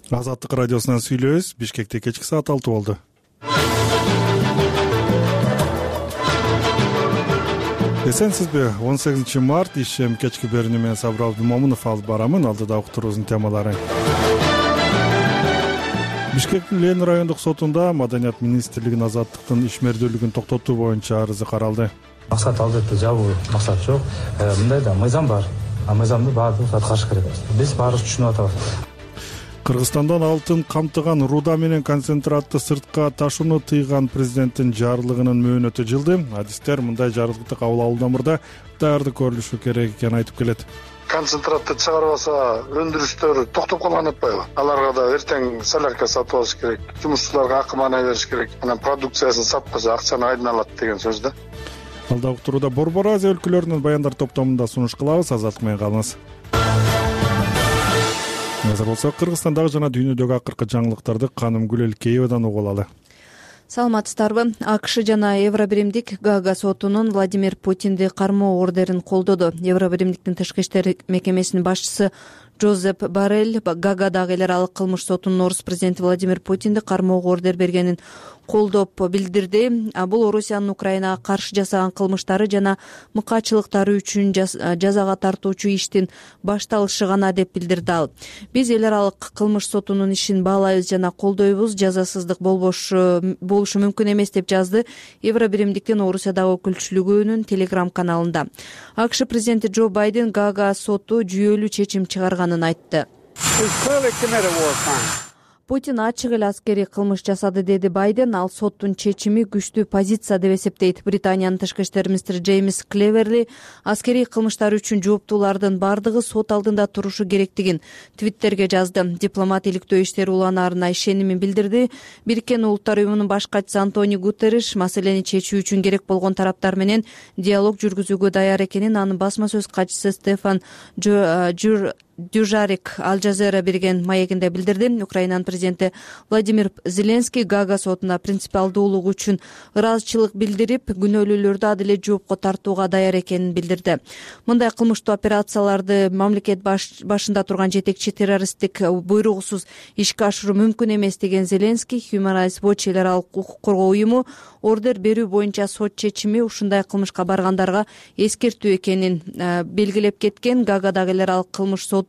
Азаттык радиосунан сүйлөбүз. Бишкекте кечки саат 6 болду. Эсенсизби? 18 март ишем кечки берүүнү мен Сабыр Абдымомунов алып барамын. Алдыда уктуруубуздун темалары. Бишкектин Ленин райондук сотунда Маданият министрлигинин азаттыктын ишмердүүлүгүн токтотуу боюнча арызы каралды. Максат албетте жабуу максат жок. Мындай да мыйзам бар. Мыйзамды баардыгыбыз аткарыш керек. Биз баарыбыз түшүнүп атабыз. Кыргызстандан алтын камтыган руда менен концентратты сыртка ташууну тыйган президенттин жарлыгынын мөөнөтү жылды. Адистер мындай жарлыкты кабыл алуудан мурда даярдык көрүлүшү керек экенин айтып келет. Концентратты чыгарбаса өндүрүштөр токтоп калган атпайбы? Аларга да эртең солярка сатып алыш керек, жумушчуларга акы маанай бериш керек. Анан продукциясын сатпаса акчаны айдын алат деген сөз да. Алда уктурууда Борбор Азия өлкөлөрүнүн баяндар топтомунда сунуш кылабыз. Азаттык менен калыңыз. Азыр болсо Кыргызстандагы жана дүйнөдөгү акыркы жаңылыктарды Каным Гүлелкеевадан угуп алалы. Саламатсыздарбы? АКШ жана Евробиримдик Гага сотунун Владимир Путинди кармоо ордерин колдоду. Евробиримдиктин тышкы иштер мекемесинин башчысы Жозеп Боррелл Гагадагы эл аралык кылмыш сотунун орус президенти Владимир Путинди кармоого ордер бергенин колдоп билдирди. Бул Орусиянын Украинага каршы жасаган кылмыштары жана мыкаачылыктары үчүн жазага тартуучу иштин башталышы гана деп билдирди ал. Биз эл аралык кылмыш сотунун ишин баалайбыз жана колдойбуз, жазасыздык болушу мүмкүн эмес деп жазды Евробиримдиктин Орусиядагы өкүлчүлүгүнүн Telegram каналында. АКШ президенти Джо Байден Гага соту жүйөлүү чечим чыгарганын айтты. Путин ачык эле аскерий кылмыш жасады, деди Байден. Ал соттун чечими күчтүү позиция деп эсептейт. Британиянын тышкы иштер министри Джеймс Клеверли аскерий кылмыштар үчүн жооптуулардын бардыгы сот алдында турушу керектигин Твиттерге жазды. Дипломат иликтөө иштери уланаарына ишенимин билдирди. Бириккен Улуттар уюмунун баш катчысы Антонио Гутерриш маселени чечүү үчүн керек болгон тараптар менен диалог жүргүзүүгө даяр экенин анын басма сөз катчысы Стефан Дюжарик Аль Жазера берген маегинде билдирди. Украинанын президенти Владимир Зеленский Гага сотуна принципиалдуулук үчүн ыраазычылык билдирип, күнөөлүүлөрдү адил жоопко тартууга даяр экенин билдирди. Мындай кылмыштуу операцияларды мамлекет башында турган жетекчи террористтик буйругусуз ишке ашыруу мүмкүн эмес деген Зеленский Human Rights Watch эл аралык укук коргоо уюму ордер берүү боюнча сот чечими ушундай кылмышка баргандарга эскертүү экенин белгилеп кеткен. Гагадагы эл аралык кылмыш соту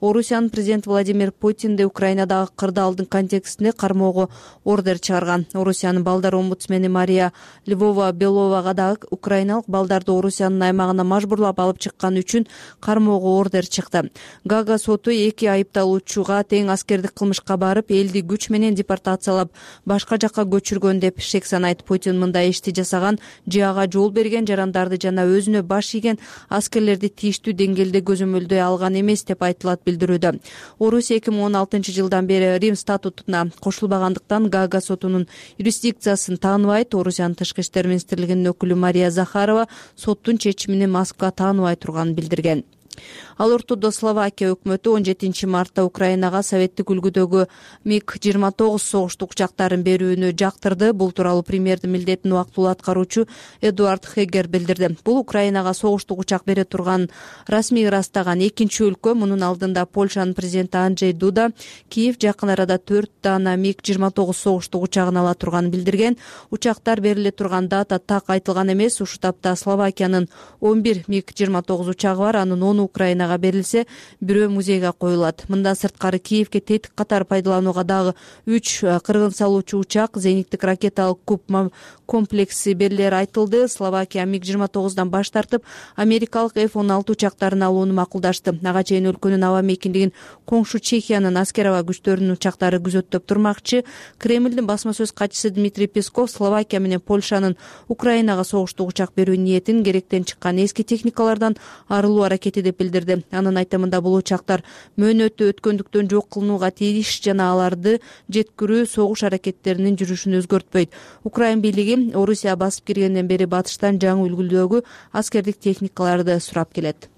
Орусиянын президенти Владимир Путинди Украинадагы кырдаалдын контекстинде кармоого ордер чыгарган. Орусиянын балдар омбудсмени Мария Львова-Беловага дагы украиналык балдарды Орусиянын аймагына мажбурлап алып чыкканы үчүн кармоого ордер чыкты. Гага соту эки айыпталуучуга тең аскердик кылмышка барып, элди күч менен депортациялап, башка жакка көчүргөн деп шек санайт. Путин мындай ишти жасаган, же ага жол берген жарандарды жана өзүнө баш ийген аскерлерди тийиштүү деңгээлде көзөмөлдөй алган эмес деп айтылат билдирүүдө. Орусия 2016 жылдан бери Рим статутуна кошулбагандыктан Гага сотунун юрисдикциясын тааныбайт. Орусиянын тышкы иштер министрлигинин өкүлү Мария Захарова соттун чечимини Москва тааныбай турганын билдирген. Ал ортодо Словакия өкмөтү 17 мартта Украинага советтик үлгүдөгү МиГ-29 согуштук учактарын берүүнү жактырды. Бул тууралуу премьердин милдетин убактылуу аткаруучу Эдуард Хегер билдирди. Бул Украинага согуштук учак бере турган расмий ырастаган экинчи өлкө. Мунун алдында Польшанын президенти Анджей Дуда Киев жакын арада 4 дана МиГ-29 согуштук учагын ала турганын билдирген. Учактар бериле турган дата так айтылган эмес. Ушул тапта Словакиянын 11 МиГ-29 учагы бар. Анын 10 Украинага берилсе, бирөө музейге коюлат. Мындан сырткары Киевге тетик катары пайдаланууга дагы 3 кыргын салуучу учак, зениттик ракеталык куб комплекси берилери айтылды. Словакия МиГ-29дан баш тартып, америкалык F-16 учактарын алууну макулдашты. Ага чейин өлкөнүн аба мейкиндигин коңшу Чехиянын аскер аба күчтөрүнүн учактары күзөттөп турмакчы. Кремлдин басма сөз катчысы Дмитрий Песков Словакия менен Польшанын Украинага согуштук учак берүү ниетин керектен чыккан эски техникалардан арылуу аракети деп билдирди. Анын айтымында бул учактар мөөнөтү өткөндүктөн жок кылынууга тийиш жана аларды жеткирүү согуш аракеттеринин жүрүшүн өзгөртпөйт. Украин бийлиги Орусия басып киргенден бери батыштан жаңы үлгүдөгү аскердик техникаларды сурап келет.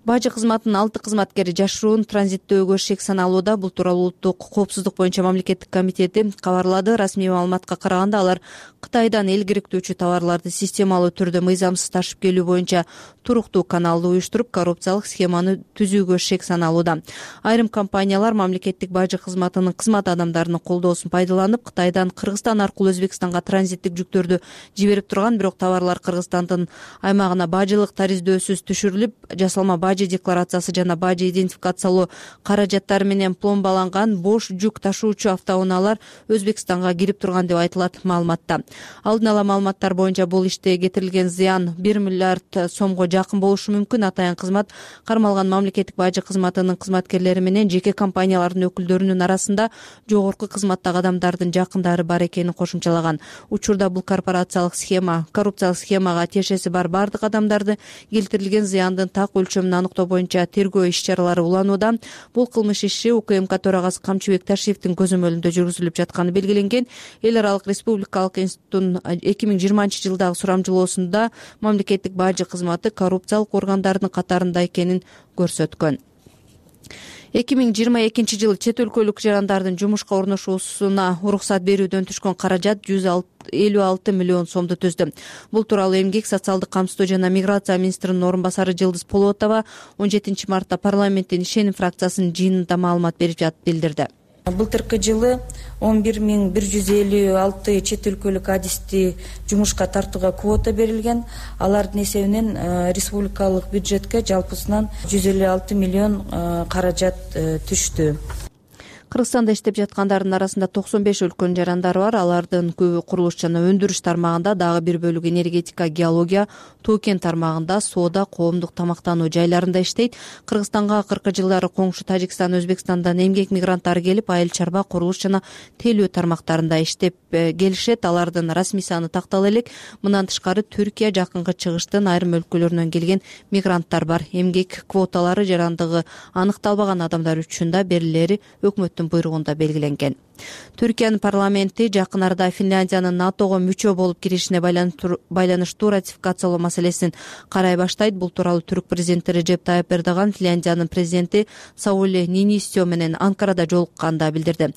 Бажы кызматынын 6 кызматкери жашыруун транзиттөөгө шек саналууда. Бул тууралуу Улуттук коопсуздук боюнча мамлекеттик комитети кабарлады. Расмий маалыматка караганда алар Кытайдан эл керектүүчү товарларды системалуу түрдө мыйзамсыз ташып келүү боюнча туруктуу каналды уюштуруп, коррупциялык схеманы түзүүгө шек саналууда. Айрым компаниялар мамлекеттик бажы кызматынын кызмат адамдарынын колдоосун пайдаланып, Кытайдан Кыргызстан аркылуу Өзбекстанга транзиттик жүктөрдү жиберип турган, бирок товарлар Кыргызстандын аймагына бажылык тариздөсүз түшүрүлүп, жасалма бажы декларациясы жана бажы идентификациялоо каражаттары менен пломбаланган бош жүк ташуучу автоунаалар Өзбекстанга кирип турган деп айтылат маалыматта. Алдын ала маалыматтар боюнча бул иште кетирилген зыян 1 миллиард сомго жакын болушу мүмкүн. Атайын кызмат кармалган мамлекеттик бажы кызматынын кызматкерлери менен жеке компаниялардын өкүлдөрүнүн арасында жогорку кызматтагы адамдардын жакындары бар экенин кошумчалаган. Учурда бул коррупциялык схемага тиешеси бар бардык адамдарды келтирилген зыяндын так өлчөмүн аныктоо боюнча тергөө иш-чаралары уланууда. Бул кылмыш иши УКМК төрагасы Камчыбек Ташиевдин көзөмөлүндө жүргүзүлүп жатканы белгиленген. Эл аралык республикалык институттун 2020-жылдагы сурамжылоосунда мамлекеттик бажы кызматы коррупциялык органдардын катарында экенин көрсөткөн. 2022-жылы чет өлкөлүк жарандардын жумушка орношуусуна уруксат берүүдөн түшкөн каражат 156 миллион сомду түздү. Бул тууралуу Эмгек, социалдык камсыздоо жана миграция министринин орун басары Жылдыз Полотова 17 мартта парламенттин ишеним фракциясынын жыйынында маалымат берип жатып билдирди. Былтыркы жылы 11.156 чет өлкөлүк адисти жумушка тартууга квота берилген. Алардын эсебинен республикалык бюджетке жалпысынан 156 миллион каражат түштү. Кыргызстанда иштеп жаткандардын арасында 95 өлкөнүн жарандары бар. Алардын көбү курулуш жана өндүрүш тармагында, дагы бир бөлүгү энергетика, геология, тоо-кен тармагында, соода, коомдук тамактануу жайларында иштейт. Кыргызстанга акыркы жылдары коңшу Тажикстан, Өзбекстандан эмгек мигранттары келип, айыл чарба, курулуш жана телөө тармактарында иштеп келишет. Алардын расмий саны тактала элек. Мындан тышкары Түркия, Жакынкы Чыгыштын айрым өлкөлөрүнөн келген мигранттар бар. Эмгек квоталары жарандыгы аныкталбаган адамдар үчүн да берилери өкмөттүн буйругунда белгиленген. Түркиянын парламенти жакын арада Финляндиянын НАТОго мүчө болуп киришине байланыштуу ратификациялоо маселесин карай баштайт. Бул тууралуу түрк президенти Режеп Тайып Эрдоган Финляндиянын президенти Саули Нинистё менен Анкарада жолукканда билдирди.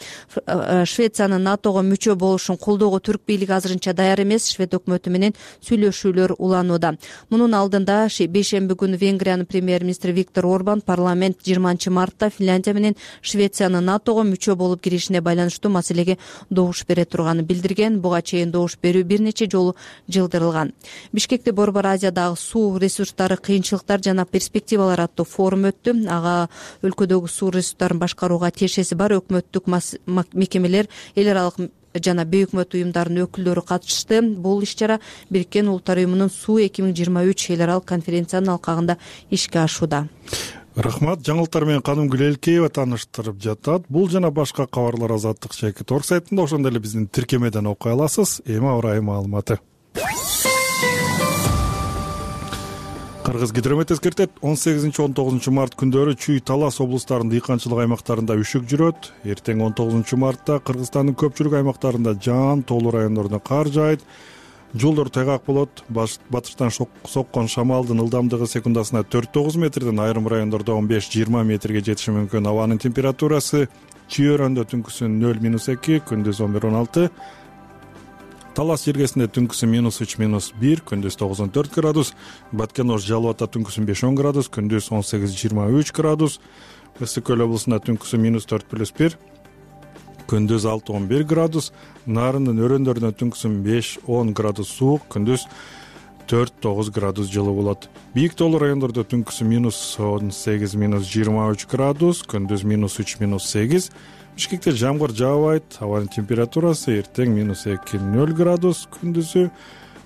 Швециянын НАТОго мүчө болушун колдоого түрк бийлиги азырынча даяр эмес. Швед өкмөтү менен сүйлөшүүлөр уланууда. Мунун алдында бейшемби күнү Венгриянын премьер-министри Виктор Орбан парламент 20 мартта Финляндия менен Швециянын НАТОго мүчө болуп киришине байланыштуу маселеге добуш бере турганын билдирген. Буга чейин добуш берүү бир нече жолу жылдырылган. Бишкекте Борбор Азиядагы суу ресурстары, кыйынчылыктар жана перспективалар аттуу форум өттү. Ага өлкөдөгү суу ресурстарын башкарууга тиешеси бар өкмөттүк мекемелер, эл аралык жана бейөкмөт уюмдардын өкүлдөрү катышты. Бул иш-чара Бириккен Улуттар уюмунун Суу 2023 эл аралык конференциянын алкагында ишке ашууда. Рахмат. Жаңылыктар менен Канымгүл Элкеева тааныштырып жатат. Бул жана башка кабарлар Азаттык Шекит орг сайтында, ошондой эле биздин тиркемеден окуй аласыз. Эми аба ырайы маалыматы. Кыргыз гидромет эскертет, 18-19 март күндөрү Чүй, Талас облустарынын дыйканчылык аймактарында үшүк жүрөт. Эртең 19 мартта Кыргызстандын көпчүлүк аймактарында жаан, тоолуу райондорунда кар жаайт. Жолдор тайгак болот. Батыштан соккон шамалдын ылдамдыгы секундасына 4-9 метрден, айрым райондордо 15-20 метрге жетиши мүмкүн. Абанын температурасы Чүй-өрөндө түнкүсүн 0-2, күндүз 11-16. Талас жергесинде түнкүсү -3-1, күндүз 9-14 градус. Баткен-Ош, Жалал Ата түнкүсүн 5-10 градус, күндүз 18-23 градус. Ысык-Көл облусунда түнкүсү -4+1, күндүз 6-11 градус. Нарындын өрөөндөрүнө түнкүсүн 5-10 градус суук, күндүз 4-9 градус жылы болот. Бийик тоолуу райондордо түнкүсү -18-23 градус, күндүз -3-8. Бишкекте жамгыр жаабайт. Абанын температурасы эртең -2-0 градус, күндүзү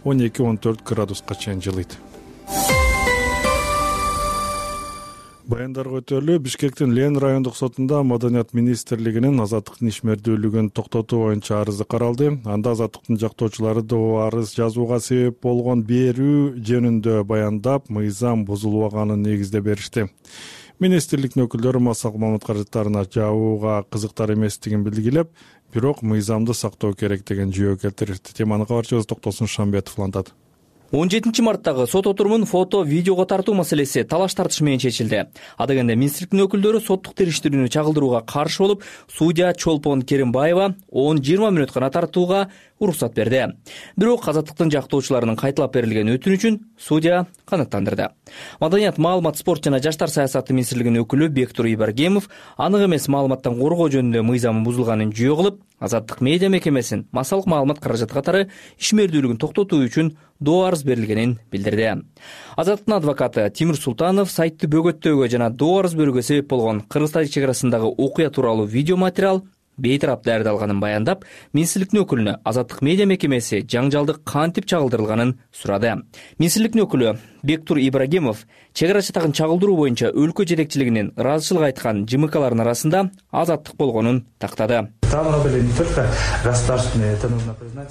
12-14 градуска чейин жылыйт. Баяндарга өтөлү. Бишкектин Лен райондук сотунда Маданият министрлигинин азаттыктын ишмердүүлүгүн токтотуу боюнча арызы каралды. Анда азаттыктын жактоочулары арыз жазууга себеп болгон берүү жөнүндө баяндап, мыйзам бузулбаганын негизде беришти. Министрликтин өкүлдөрү массалык маалымат каражаттарына жабууга кызыктар эместигин белгилеп, бирок мыйзамды сактоо керек деген жүйө келтиришти. Теманы кабарчыбыз Токтосун Шамбетов улантат. 17 марттагы сот отурумун фото, видеого тартуу маселеси талаш тартыш менен чечилди. Ада кенде министрликтин өкүлдөрү соттук териштирүүнү чагылдырууга каршы болуп, судья Чолпон Керимбаева 10-20 мүнөт гана тартууга уруксат берди. Бирок Азаттыктын жактоочуларынын кайталап берилген өтүнүчүн судья канааттандырды. Маданият, маалымат, спорт жана жаштар саясаты министрлигинин өкүлү Бектур Ибрагимов анык эмес маалыматтан коргоо жөнүндө мыйзамы бузулганын жүйө кылып, Азаттык медиа мекемесин массалык маалымат каражаты катары ишмердүүлүгүн токтотуу үчүн доо арыз берилгенин билдирди. Азаттыктын адвокаты Тимир Султанов сайтты бөгөттөөгө жана доо арыз берүүгө себеп болгон Кыргыз-Тажик чек арасындагы окуя тууралуу видео материал бейтарап даярдалганын баяндап, министрликтин өкүлүнө Азаттык медиа мекемеси жаңжалдык кантип чагылдырылганын сурады. Министрликтин өкүлү Бектур Ибрагимов чек ара чатагын чагылдыруу боюнча өлкө жетекчилигинин ыраазычылык айткан ЖМКлардын арасында Азаттык болгонун тактады.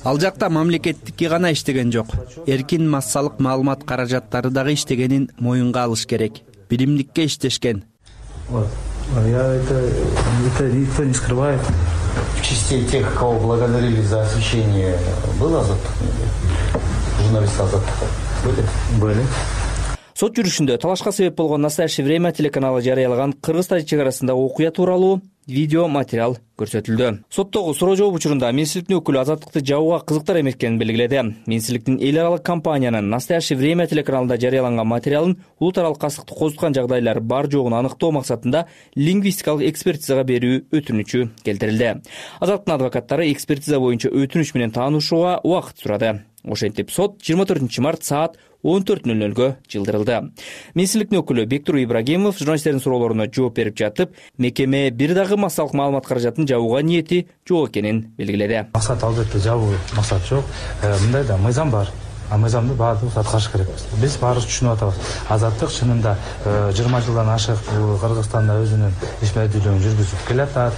Ал жакта мамлекеттикки гана иштеген жок, эркин массалык маалымат каражаттары дагы иштегенин моюнга алыш керек. Билимдикке иштешкен. Это никто не скрывает. В числе тех, кого благодарили за освещение, был Азаттык? Журналисты Азаттыка были? Сот жүрүшүндө талашка себеп болгон «Настоящее время» телеканалы жарыялаган Кыргыз-Тажик чек арасындагы окуя тууралуу видео материал көрсөтүлдү. Соттогу суроо жооп учурунда министрликтин өкүлү Азаттыкты жабууга кызыктар эметкенин белгиледи. Министрликтин эл аралык компаниянын «Настоящее время» телеканалында жарыяланган материалын улут аралык кастыкты козуткан жагдайлар бар жогун аныктоо максатында лингвистикалык экспертизага берүү өтүнүчү келтирилди. Азаттыктын адвокаттары экспертиза боюнча өтүнүч менен таанышууга убакыт сурады. Ошентип сот 24 март саат 14:00 жылдырылды. Министрликтин өкүлү Бектур Ибрагимов журналисттердин суроолоруна жооп берип жатып, мекеме бир дагы массалык маалымат каражатын жабууга ниети жок экенин белгиледи. Максат албетте жабуу максат жок. Мындай да мыйзам бар. Мыйзамды баардыгыбыз аткарыш керекпиз. Биз баарыбыз түшүнүп атабыз. Азаттык чынында 20 жылдан ашык Кыргызстанда өзүнүн ишмердүүлүгүн жүргүзүп келатат.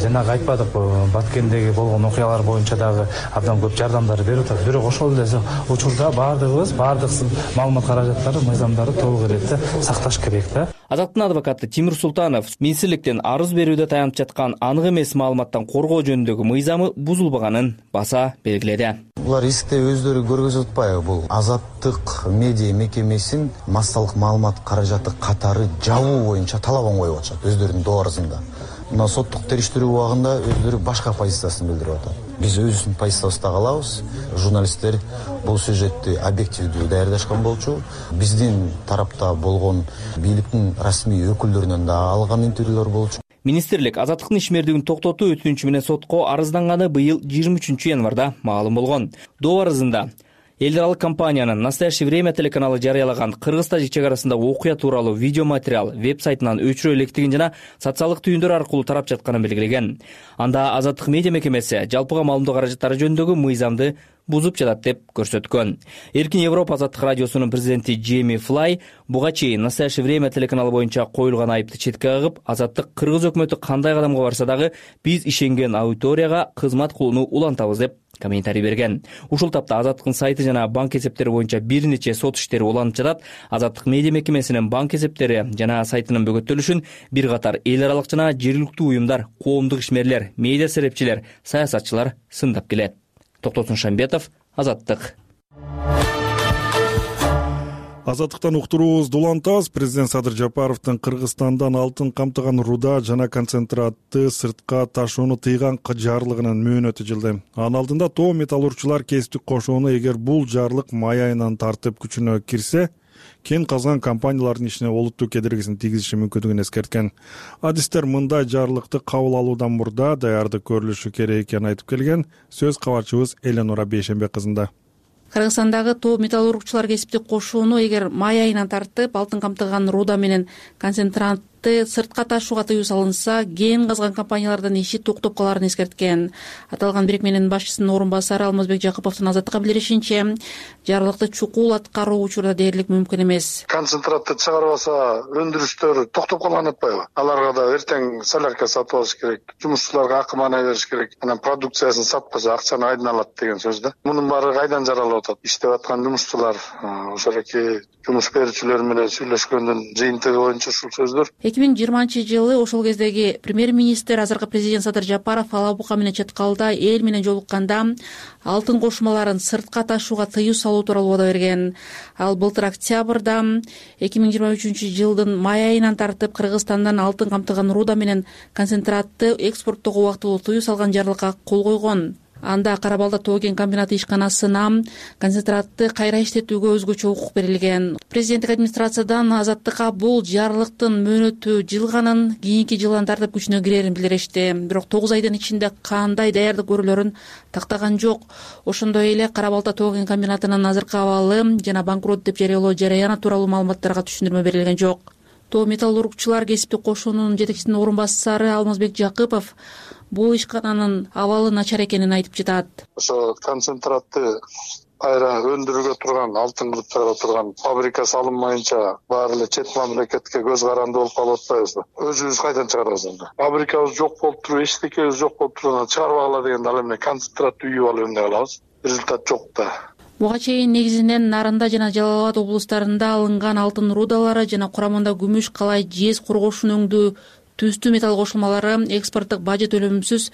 Жанагы айтпадык, Баткендеги болгон окуялар боюнча дагы абдан көп жардамдар берип атат. Бирок ошол эле учурда баардык маалымат каражаттары, мыйзамдарды толук иретте сакташ керек да. Азаттыктын адвокаты Тимир Султанов министрликтен арыз берүүдө таянып жаткан анык эмес маалыматтан коргоо жөнүндөгү мыйзамы бузулбаганын баса белгиледи. Булар эсикте өздөрү көргөзүп атпайбы? Бул Азаттык медиа мекемесин массалык маалымат каражаты катары жабуу боюнча талабын коюп атышат өздөрүнүн доо арызында. Мына соттук териштирүү убагында өздөрү башка позициясын билдирип атат. Биз өзүбүздүн позициябызды калабыз. Журналисттер бул сюжетти объективдүү даярдашкан болчу. Биздин тарапта болгон бийликтин расмий өкүлдөрүнөн да алган интервьюлөр болчу. Министрлик Азаттыктын ишмердүүлүгүн токтотуу өтүнүчү менен сотко арызданганы быйыл 23 январда маалым болгон. Доо арызында эл аралык компаниянын «Настоящее время» телеканалы жарыялаган Кыргыз-Тажик чек арасындагы окуя тууралуу видео материал веб-сайтынан өчүрө электигин жана социалдык түйүндөр аркылуу тарап жатканын белгилеген. Анда Азаттык медиа мекемеси жалпыга маалымдоо каражаттары жөнүндөгү мыйзамды бузуп жатат деп көрсөткөн. Эркин Европа Азаттык радиосунун президенти Джейми Флай буга чейин «Настоящее время» телеканалы боюнча коюлган айыпты четке кагып, Азаттык Кыргыз өкмөтү кандай кадамга барса дагы биз ишенген аудиторияга кызмат кылууну улантабыз деп комментарий берген. Ушул тапта Азаттыктын сайты жана банк эсептери боюнча бир нече сот иштери уланып жатат. Азаттык медиа мекемесинин банк эсептери жана сайтынын бөгөттөлүшүн бир катар эл аралык жана жергиликтүү уюмдар, коомдук ишмерлер, медиа серепчилер, саясатчылар сындап келет. Токтосун Шамбетов, Азаттык. Азаттыктан уктуруубузду улантабыз. Президент Садыр Жапаровдун Кыргызстандан алтын камтыган руда жана концентратты сыртка ташууну тыйган жарлыгынын мөөнөтү жылды. Анын алдында тоо металлургчулар кесиптик кошууну эгер бул жарлык май айынан тартып күчүнө кирсе, кен казган компаниялардын ишине олуттуу кедергисин тийгизиши мүмкүндүгүн эскерткен. Адистер мындай жарлыкты кабыл алуудан мурда даярдык көрүлүшү керек экенин айтып келген. Сөз кабарчыбыз Эленора Бейшембек кызында. Кыргызстандагы тоо металлургчулар кесиптик кошууну эгер май айынан тартып алтын камтыган руда менен концентратты сыртка ташууга тыюу салынса, кен казган компаниялардын иши токтоп каларын эскерткен. Аталган бирикменин башчысынын орун басары Алмазбек Жакыповдун Азаттыкка билдиришинче, жарлыкты чукул аткаруу учурда дээрлик мүмкүн эмес. Концентратты чыгарбаса, өндүрүштөр токтоп калган атпайбы? Аларга да эртең солярка сатып алыш керек, жумушчуларга акы маанай бериш керек. Анан продукциясын сатпаса акчаны айдын алат деген сөз да. Мунун баары кайдан жаралып атат? Иштеп аткан жумушчулар, ошоки жумуш берүүчүлөр менен сүйлөшкөндүн жыйынтыгы боюнча ушул сөздөр. 2020-жылы ошол кездеги премьер-министр, азыркы президент Садыр Жапаров Ала Бука менен Чаткалда эл менен жолукканда алтын кошмаларын сыртка ташууга тыюу салуу тууралуу убада берген. Ал былтыр октябрда 2023-жылдын май айынан тартып Кыргызстандан алтын камтыган руда менен концентратты экспорттоого убактылуу тыюу салган жарлыкка кол койгон. Анда Кара Балда тоо кен комбинаты ишканасына концентратты кайра иштетүүгө өзгөчө укук берилген. Президенттик администрациядан Азаттыкка бул жарлыктын мөөнөтү жылганын, кийинки жылдан тартып күчүнө кирерин билдиришти. Бирок 9 айдын ичинде кандай даярдык көрүүлөрүн тактаган жок. Ошондой эле Кара Балда тоо кен комбинатынын азыркы абалы жана банкрот деп жарыялоо жараяны тууралуу маалыматтарга түшүндүрмө берилген жок. Тоо металлургчулар кесиптик кошуунун жетекчисинин орун басары Алмазбек Жакыпов бул ишкананын абалы начар экенин айтып жатат. Ошо концентратты кайра өндүрүүгө турган, алтын кылып чыгара турган фабрика салынмайынча баары эле чет мамлекетке көз каранды болуп калып атпайбызбы? Өзүбүз кайдан чыгарабыз анда? Фабрикабыз жок болуп туруп, эчтекебиз жок болуп туруп, чыгарбагыла дегенде ал эмне концентратты үйүп алып эмне кылабыз? Результат жок да. Буга чейин негизинен Нарында жана Жалал Абад облустарында алынган алтын рудалары жана курамында күмүш, калай, жез, коргошун өңдүү түстүү металл кошулмалары экспорттук бажы төлөмсүз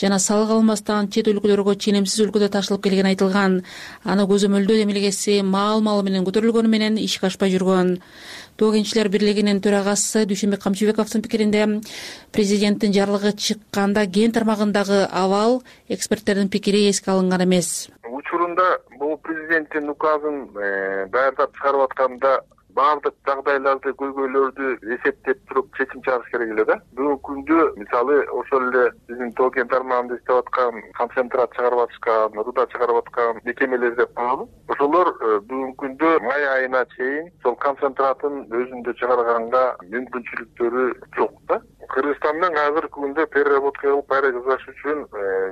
жана салык алмастан чет өлкөлөргө ченемсиз өлкөдө ташылып келгени айтылган. Аны көзөмөлдөө эмилгеси маал-малы менен көтөрүлгөнү менен ишке ашпай жүргөн. Тоо кенчилер бирлигинин төрагасы Дүйшөнбек Камчыбековдун пикиринде президенттин жарлыгы чыкканда кен тармагындагы абал эксперттердин пикири эске алынган эмес. Учурунда бул президенттин указын даярдап чыгарып атканда баардык жагдайларды, көйгөйлөрдү эсептеп туруп чечим чыгарыш керек эле да. Бүгүнкү күндө мисалы ошол эле биздин тоо кен тармагында иштеп аткан, концентрат чыгарып аткан, руда чыгарып аткан мекемелер деп коелу. Ошолор бүгүнкү күндө май айына чейин сол концентратын өзүндө чыгарганга мүмкүнчүлүктөрү жок да. Кыргызстандан азыркы күндө переработка кылып кайра жасаш үчүн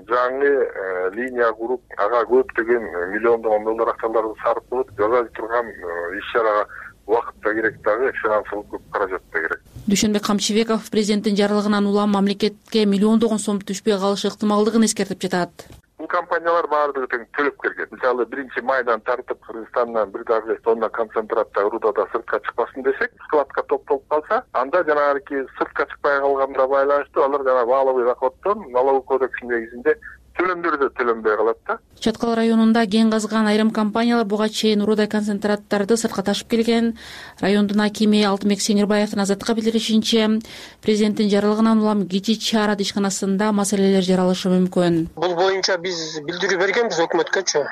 жаңы линия куруп, ага көптөгөн миллиондогон доллар акчаларды сарптап жасай турган иш-чарага убакыт да керек дагы, финансылык көп каражат да керек. Дүйшөнбек Камчыбеков президенттин жарлыгынан улам мамлекетке миллиондогон сом түшпөй калышы ыктымалдыгын эскертип жатат. Бул компаниялар баардыгы тең төлөп келген. Мисалы 1-майдан тартып Кыргызстандан 1,5 тонна концентратта рудада сыртка чыкпасын десек, складка топтолуп калса, анда жанагы сыртка чыкпай калганга байланыштуу алар жана валовый доходдон налоговый кодекстин негизинде төлөмдөрдө төлөнбөй калат да. Чаткал районунда кен казган айрым компаниялар буга чейин руда концентраттарды сыртка ташып келген. Райондун акими Алтынбек Сеңирбаевдин Азаттыкка билдиришинче, президенттин жарлыгынан улам Кичи Чарат ишканасында маселелер жаралышы мүмкүн. Бул боюнча биз билдирүү бергенбиз өкмөткөчү.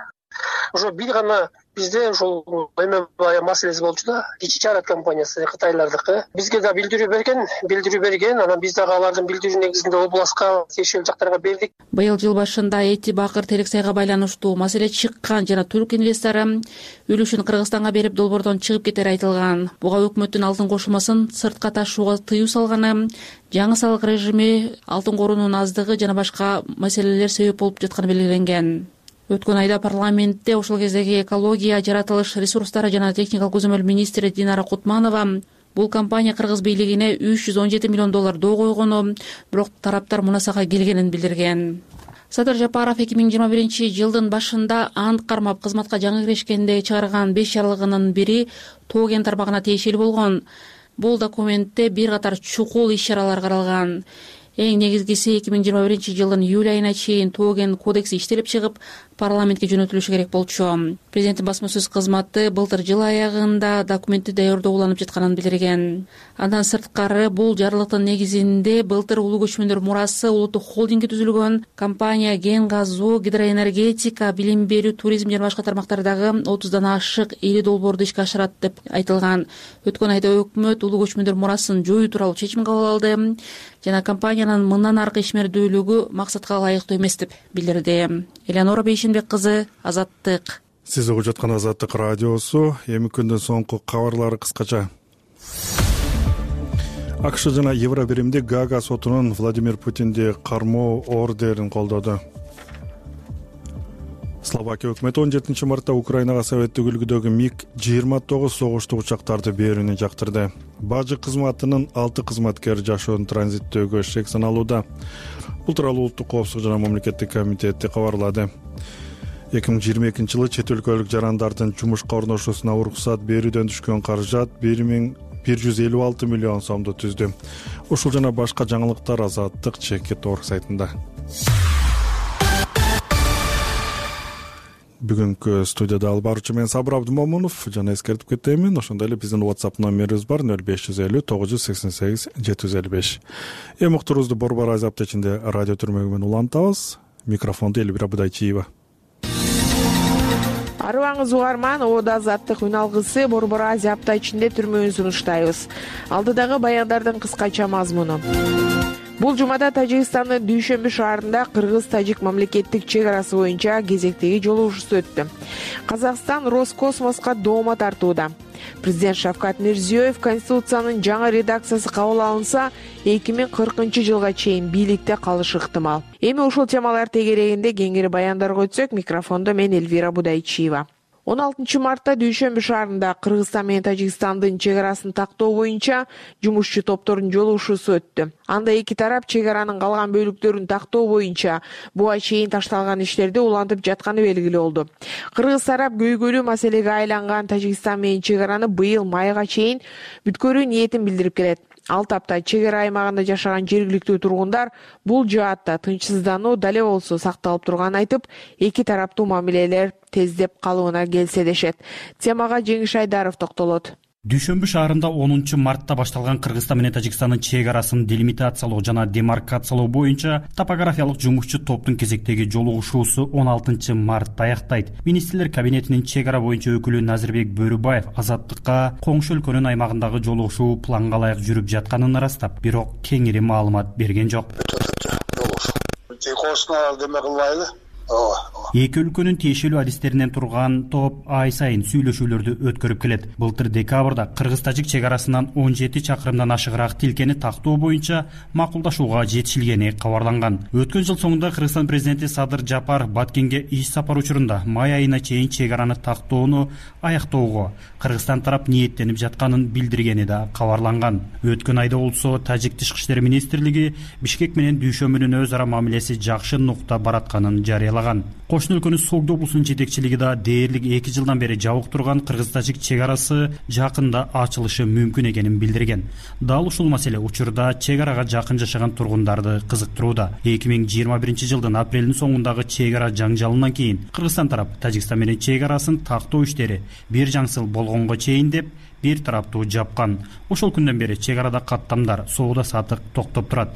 Ошо бир гана бизде ошол эме маселеси болчу да. Кичи Чарат компаниясы кытайлардыкы. Бизге да билдирүү берген, анан биз дагы алардын билдирүү негизинде областка, тиешелүү жактарга бердик. Быйыл жыл башында Эти Бакыр терек сайга байланыштуу маселе чыккан жана түрк инвестору үлүшүн Кыргызстанга берип долбоордон чыгып кетери айтылган. Буга өкмөттүн алтын кошулмасын сыртка ташууга тыюу салганы, жаңы салык режими, алтын корунун аздыгы жана башка маселелер себеп болуп жатканы белгиленген. Өткөн айда парламентте ошол кездеги экология, жаратылыш ресурстары жана техникалык көзөмөл министри Динара Кутманова бул компания Кыргыз бийлигине 317 миллион доллар доо койгону, бирок тараптар мунасага келгенин билдирген. Садыр Жапаров 2021-жылдын башында ант кармап кызматка жаңы киришкенде чыгарган 5 жарлыгынын бири тоо кен тармагына тиешелүү болгон. Бул документте бир катар чукул иш-чаралар каралган. Эң негизгиси 2021-жылдын июль айына чейин тоо кен кодекси иштелип чыгып, парламентке жөнөтүлүшү керек болчу. Президенттин басма-сөз кызматы былтыр жыл аягында документти даярдоо уланып жатканын билдирген. Андан сырткары бул жарлыктын негизинде былтыр улуу көчмөндөр мурасы улуттук холдинги түзүлгөн. Компания кен казуу, гидроэнергетика, билим берүү, туризм жана башка тармактардагы 30дан ашык ири долбоорду ишке ашырат деп айтылган. Өткөн айда өкмөт улуу көчмөндөр мурасын жоюу тууралуу чечим кабыл алды жана компаниянын мындан аркы ишмердүүлүгү максатка ылайыктуу эмес деп билдирди. Элеонора Бейшенбек кызы, Азаттык. Сиз угуп жаткан Азаттык радиосу. Эми күндүн соңку кабарлары кыскача. АКШ жана Евробиримди Гага сотунун Владимир Путинди кармоо ордерин колдоду. Словакия өкмөтү 17-мартта Украинага советтик үлгүдөгү МиГ-29 согуштук учактарды берүүнү жактырды. Бажы кызматынын 6 кызматкери жашоонун транзиттөөгө шек саналууда. Бул тууралуу Улуттук коопсуздук жана мамлекеттик комитети кабарлады. 2022-жылы чет өлкөлүк жарандардын жумушка орношуусуна уруксат берүүдөн түшкөн каражат 1 156 миллион сомду түздү. Ушул жана башка жаңылыктар Азаттык Чекит.org сайтында. Бүгүнкү студияда алып баруучу мен Сабыр Абдымомунов жана эскертип кетемин, ошондой эле биздин WhatsApp номерибиз бар 0550 988 755. Эми уктурубузду Борбор Азия аптечинде радио түрмөгү менен улантабыз. Микрофонду Элвира Будайчиева. Арыбаңыз угарман, Ода Азаттык үн алгысы Борбор Азия апта ичинде түрмөгүн сунуштайбыз. Алдыдагы баяндардын кыскача мазмуну. Бул жумада Тажикстандын Дүйшөмбү шаарында Кыргыз-Тажик мамлекеттик чек арасы боюнча кезектеги жолугушуу өттү. Казакстан Роскосмоско доoma тартууда. Президент Шавкат Мирзиёев Конституциянын жаңы редакциясы кабыл алынса, 2040-жылга чейин бийликте калышы ыктымал. Эми ушул темалар тегерегинде кеңири баяндарга өтсөк, микрофондо мен Элвира Будайчиева. 16 мартта Дүйшөмбү шаарында Кыргызстан менен Тажикстандын чек арасын тактоо боюнча жумушчу топтордун жолугушуусу өттү. Анда эки тарап чек аранын калган бөлүктөрүн тактоо боюнча буга чейин ташталган иштерди улантып жатканы белгилүү болду. Кыргыз тарап көйгөйлүү маселеге айланган Тажикстан менен чек араны быйыл майга чейин бүткөрүү ниетин билдирип келет. Ал тапта чек ара аймагында жашаган жергиликтүү тургундар бул жаатта тынчсыздануу дале болсо сакталып турганын айтып, эки тараптуу мамилелер тездеп калууна келсе дешет. Темага Жеңиш Айдаров токтолот. Дүйшөмбү шаарында 10 мартта башталган Кыргызстан менен Тажикстандын чек арасын делимитациялоо жана демаркациялоо боюнча топографиялык жумушчу топтун кезектеги жолугушуусу 16 мартта аяктайт. Министрлер кабинетинин чек ара боюнча өкүлү Назирбек Бөрүбаев Азаттыкка коңшу өлкөнүн аймагындагы жолугушуу планга ылайык жүрүп жатканын ырастап, бирок кеңири маалымат берген жок. Эки өлкөнүн тиешелүү адистеринен турган топ ай сайын сүйлөшүүлөрдү өткөрүп келет. Былтыр декабрда Кыргыз-Тажик чек арасынан 17 чакырымдан ашыгыраак тилкени тактоо боюнча макулдашууга жетишилгени кабарланган. Өткөн жыл соңунда Кыргызстан президенти Садыр Жапар Баткенге иш сапар учурунда май айына чейин чек араны тактоону аяктоого Кыргызстан тарап ниеттенип жатканын билдиргени да кабарланган. Өткөн айда болсо Тажик тышкы иштер министрлиги Бишкек менен Дүйшөмбүнүн өз ара мамилеси жакшы нукта баратканын жарыялаган. Кошуна өлкөнүн Согду облусунун жетекчилиги да дээрлик 2 жылдан бери жабык турган Кыргыз-Тажик чек арасы жакында ачылышы мүмкүн экенин билдирген. Дал ушул маселе учурда чек арага жакын жашаган тургундарды кызыктырууда. 2021 жылдын апрелдин соңундагы чек ара жаңжалынан кийин Кыргызстан тарап Тажикстан менен чек арасын тактоо иштери бир жаңсыл болгонго чейин деп бир тараптуу жапкан. Ошол күндөн бери чек арада каттамдар, соода сатык токтоп турат.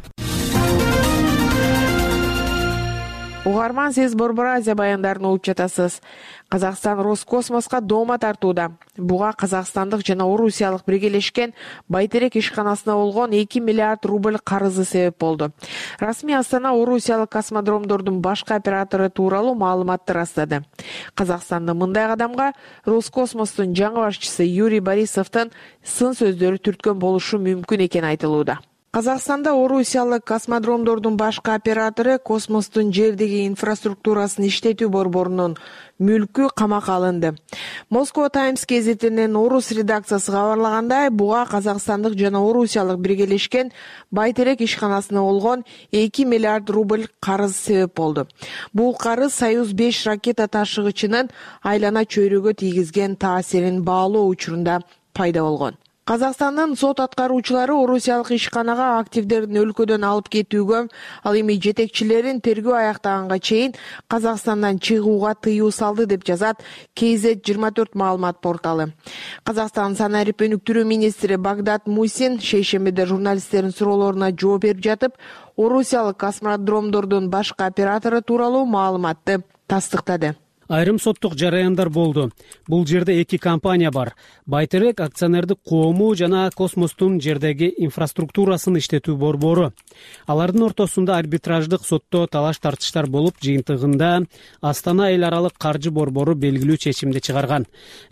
Угарман, сиз Борбор Азия баяндарын угуп жатасыз. Казакстан Роскосмоско доoma тартууда. Буга казакстандык жана орусиялык биргелешкен Байтерек ишканасына болгон 2 миллиард рубль карызы себеп болду. Расмий Астана орусиялык космодромдордун башкы оператору тууралуу маалыматты ырастады. Казакстандын мындай кадамга Роскосмостун жаңы башчысы Юрий Борисовдун сын сөздөрү түрткөн болушу мүмкүн экени айтылууда. Казакстанда орусиялык космодромдордун башкы оператору космостун жердеги инфраструктурасын иштетүү борборунун мүлкү камакка алынды. Москва Таймс гезитинин орус редакциясы кабарлагандай, буга казакстандык жана орусиялык биргелешкен Байтерек ишканасына болгон 2 миллиард рубль карыз себеп болду. Бул карыз Союз 5 ракета ташыгычынын айлана чөйрөгө тийгизген таасирин баалоо учурунда пайда болгон. Казакстандын сот аткаруучулары орусиялык ишканага активдерин өлкөдөн алып кетүүгө, ал эми жетекчилерин тергөө аяктаганга чейин Казакстандан чыгууга тыюу салды деп жазат KZ24 маалымат порталы. Казакстан санарип өнүктүрүү министри Багдат Мусин шейшембиде журналисттердин суроолоруна жооп берип жатып, орусиялык космодромдордун башкы оператору тууралуу маалыматты тастыктады. Айрым соттук жараяндар болду. Бул жерде эки компания бар. Байтерек акционердик коому жана космостун жердеги инфраструктурасын иштетүү борбору. Алардын ортосунда арбитраждык сотто талаш-тартыштар болуп, жыйынтыгында Астана эл аралык каржы борбору белгилүү чечимди чыгарган.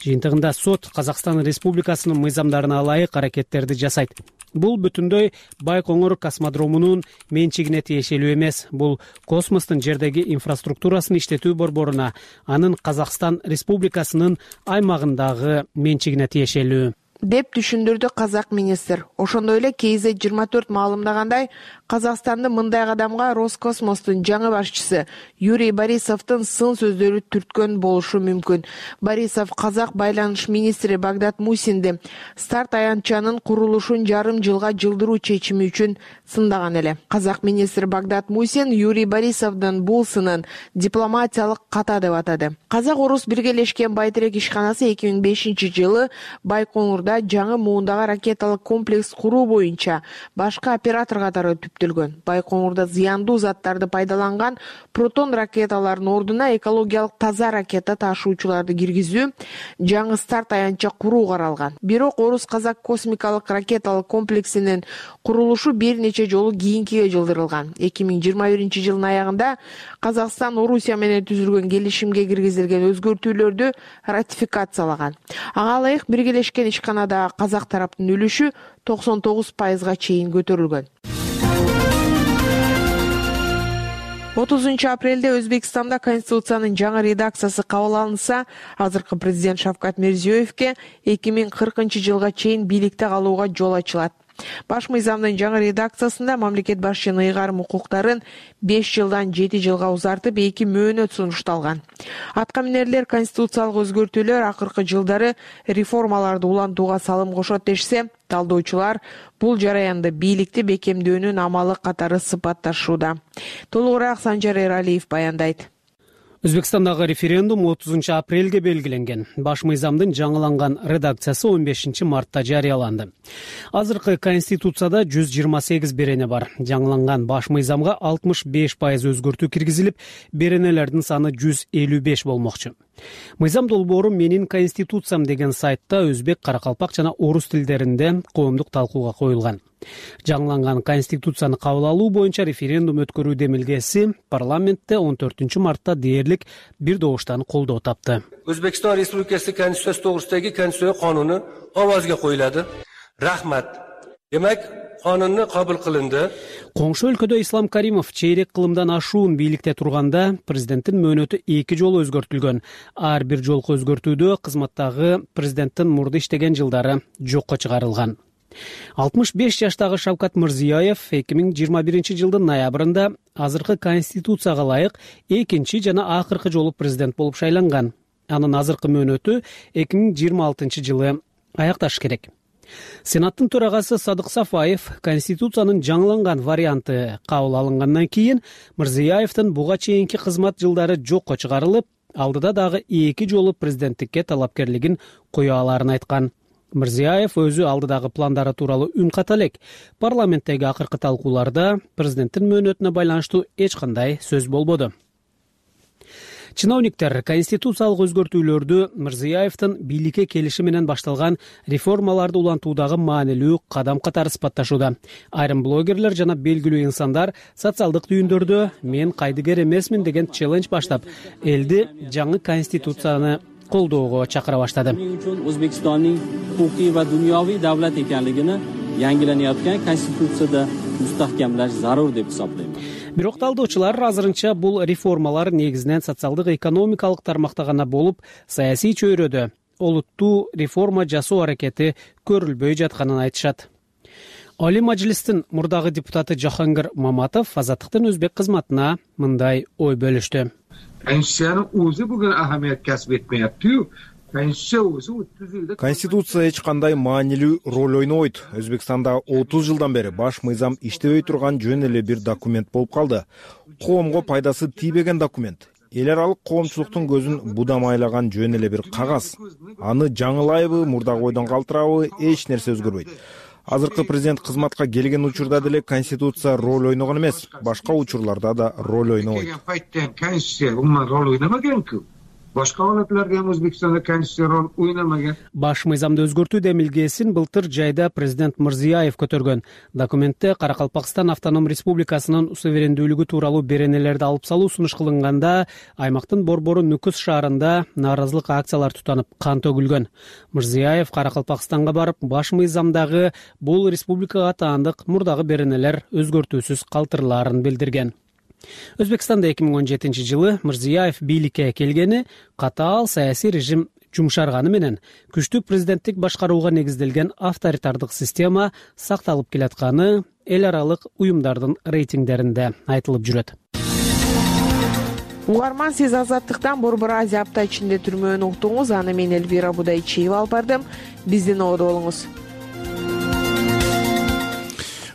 Жыйынтыгында сот Казакстан Республикасынын мыйзамдарына ылайык аракеттерди жасайт. Бул бүтүндөй Байкоңур космодромунун менчигине тиешелүү эмес. Бул космостун жердеги инфраструктурасын иштетүү борборуна, анын Казакстан Республикасынын аймагындагы менчигине тиешелүү. деп түшүндүрдү казак министр. Ошондой эле KZ-24 маалымдагандай, Казакстанды мындай кадамга Роскосмостун жаңы башчысы Юрий Борисовдун сын сөздөрү түрткөн болушу мүмкүн. Борисов казак байланыш министри Багдат Мусинди старт аянтчанын курулушун жарым жылга жылдыруу чечими үчүн сындаган эле. Казак министри Багдат Мусин Юрий Борисовдун бул сынын дипломатиялык ката деп атады. Казак-орус биргелешкен Байтерек ишканасы 2005 жылы Байконурда жаңы муундагы ракеталык комплекс куруу боюнча башкы оператор катары түптөлгөн. Байконурда зыяндуу заттарды пайдаланган протон ракеталардын ордуна экологиялык таза ракета ташуучуларды киргизүү, жаңы старт аянтча куруу каралган. Бирок орус-казак космикалык ракеталык комплексинин курулушу бир нече жолу кийинкиге жылдырылган. 2021 жылдын аягында Казакстан Орусия менен түзүлгөн келишимге киргизилген өзгөртүүлөрдү ратификациялаган. Ага ылайык биргелешкен ишканадагы казак тараптын үлүшү 99%га чейин көтөрүлгөн. 30 апрелде Өзбекстанда Конституциянын жаңы редакциясы кабыл алынса, азыркы президент Шавкат Мирзиёевке 2040 жылга чейин бийликте калууга жол ачылат. Баш мыйзамдын жаңы редакциясында мамлекет башчынын ыйгарым укуктарын 5 жылдан 7 жылга узартып 2 мөөнөт сунушталган. Атка минерлер конституциялык өзгөртүүлөр акыркы жылдары реформаларды улантууга салым кошот дешсе, талдоочулар бул жараянды бийликти бекемдөөнүн амалы катары сыпатташууда. Толугураак Санжар Эралиев баяндайт. Өзбекстандагы референдум 30 апрелге белгиленген. Баш мыйзамдын жаңыланган редакциясы 15 мартта жарыяланды. Азыркы конституцияда 128 берене бар. Жаңыланган баш мыйзамга 65% өзгөртүү киргизилип, беренелердин саны 155 болмокчу. Мыйзам долбоору «Менин конституциям» деген сайтта өзбек, каракалпак жана орус тилдеринде коомдук талкууга коюлган. Жаңыланган конституцияны кабыл алуу боюнча референдум өткөрүү демилгеси парламентте 14 мартта дээрлик бир добуштан колдоо тапты. Өзбекстан Республикасы Конституциясы тогрусудагы Конституция кануну овозго коюлады. Рахмат. Демек, канунну кабыл кылынды. Коңшу өлкөдө Ислам Каримов чейрек кылымдан ашуун бийликте турганда президенттин мөөнөтү 2 жолу өзгөртүлгөн. Ар бир жолку өзгөртүүдө кызматтагы президенттин мурда иштеген жылдары жокко чыгарылган. 65 жаштагы Шавкат Мирзиёев 2021 жылдын ноябрында азыркы конституцияга ылайык экинчи жана акыркы жолу президент болуп шайланган. Анын азыркы мөөнөтү 2026 жылы аякташы керек. Сенаттын төрагасы Садык Сафаев конституциянын жаңыланган варианты кабыл алынгандан кийин Мирзиёевдин буга чейинки кызмат жылдары жокко чыгарылып, алдыда дагы 2 жолу президенттикке талапкерлигин кое аларын айткан. Мирзиёев өзү алдыдагы пландары тууралуу үн ката элек. Парламенттеги акыркы талкууларда президенттин мөөнөтүнө байланыштуу эч кандай сөз болбоду. Чиновниктер конституциялык өзгөртүүлөрдү Мирзиёевдин бийликке келиши менен башталган реформаларды улантуудагы маанилүү кадам катары сыпатташууда. Айрым блогерлер жана белгилүү инсандар социалдык түйүндөрдө «Мен кайдыгер эмесмин» деген челлендж баштап, элди жаңы конституцияны колдоого чакыра баштады. O'zbekistonning huquqiy va dunyoviy davlat ekanligini yangilanayotgan konstitutsiyada mustahkamlash zarur deb hisoblayman. Бирок талдоочулар азырынча бул реформалар негизинен социалдык экономикалык тармакта гана болуп, саясий чөйрөдө олуттуу реформа жасоо аракети көрүлбөй жатканын айтышат. Али Мажлистин мурдагы депутаты Жахангир Маматов Азаттыктын өзбек кызматына мындай ой бөлүштү. Конституциянын өзү бүгүн ахамият касып этмейатты. Конституция эч кандай маанилүү роль ойнобойт. Өзбекстанда 30 жылдан бери баш мыйзам иштебей турган жөн эле бир документ болуп калды. Коомго пайдасы тийбеген документ. Эл аралык коомчулуктун көзүн будамайлаган жөн эле бир кагаз. Аны жаңылайбы, мурдагы ойдон калтырабы, эч нерсе өзгөрбөйт. Азыркы президент кызматка келген учурда деле конституция роль ойногон эмес, башка учурларда да роль ойнобойт. Башка алатларда ham O'zbekistonda konstitutsiya rol o'ynamagan. Баш мыйзамды өзгөртүү демилгесин былтыр жайда президент Мирзиёев көтөргөн. Документте Каракалпакстан автоном республикасынын суверендүүлүгү тууралуу беренелерди алып салуу сунуш кылынганда, аймактын борбору Нүкүс шаарында нааразылык акциялар тутанып, кан төгүлгөн. Мирзиёев Каракалпакстанга барып, баш мыйзамдагы бул республикага таандык мурдагы беренелер өзгөртүүсүз калтырылаарын билдирген. Өзбекстанда 2017 жылы Мирзиёев бийликке келгени катаал саясий режим жумшарганы менен күчтүү президенттик башкарууга негизделген авторитардык система сакталып келатканы эл аралык уюмдардын рейтингдеринде айтылып жүрөт. Угарман, сиз Азаттыктан Борбор Азия апта ичинде түрмөөнү уктуңуз. Аны мен Элвира Будайчиева алып бардым. Биздин ободо болуңуз.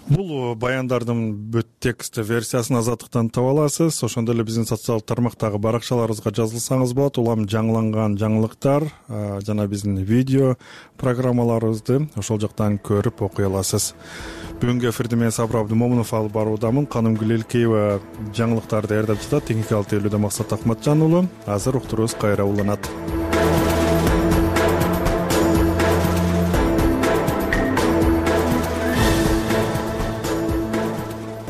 Бул баяндардын бүт текст версиясын Азаттыктан таба аласыз. Ошондой эле биздин социалдык тармактагы баракчаларыбызга жазылсаңыз болот. Улам жаңыланган жаңылыктар жана биздин видео программаларыбызды ошол жактан көрүп окуй аласыз. Бүгүнкү эфирди мен Сабыр Абдымомунов алып баруудамын. Канымгүл Элкеева жаңылыктарды даярдап жатат. Техникалык тейлөөдө Максат Акматжан уулу. Азыр уктуруубуз кайра уланат.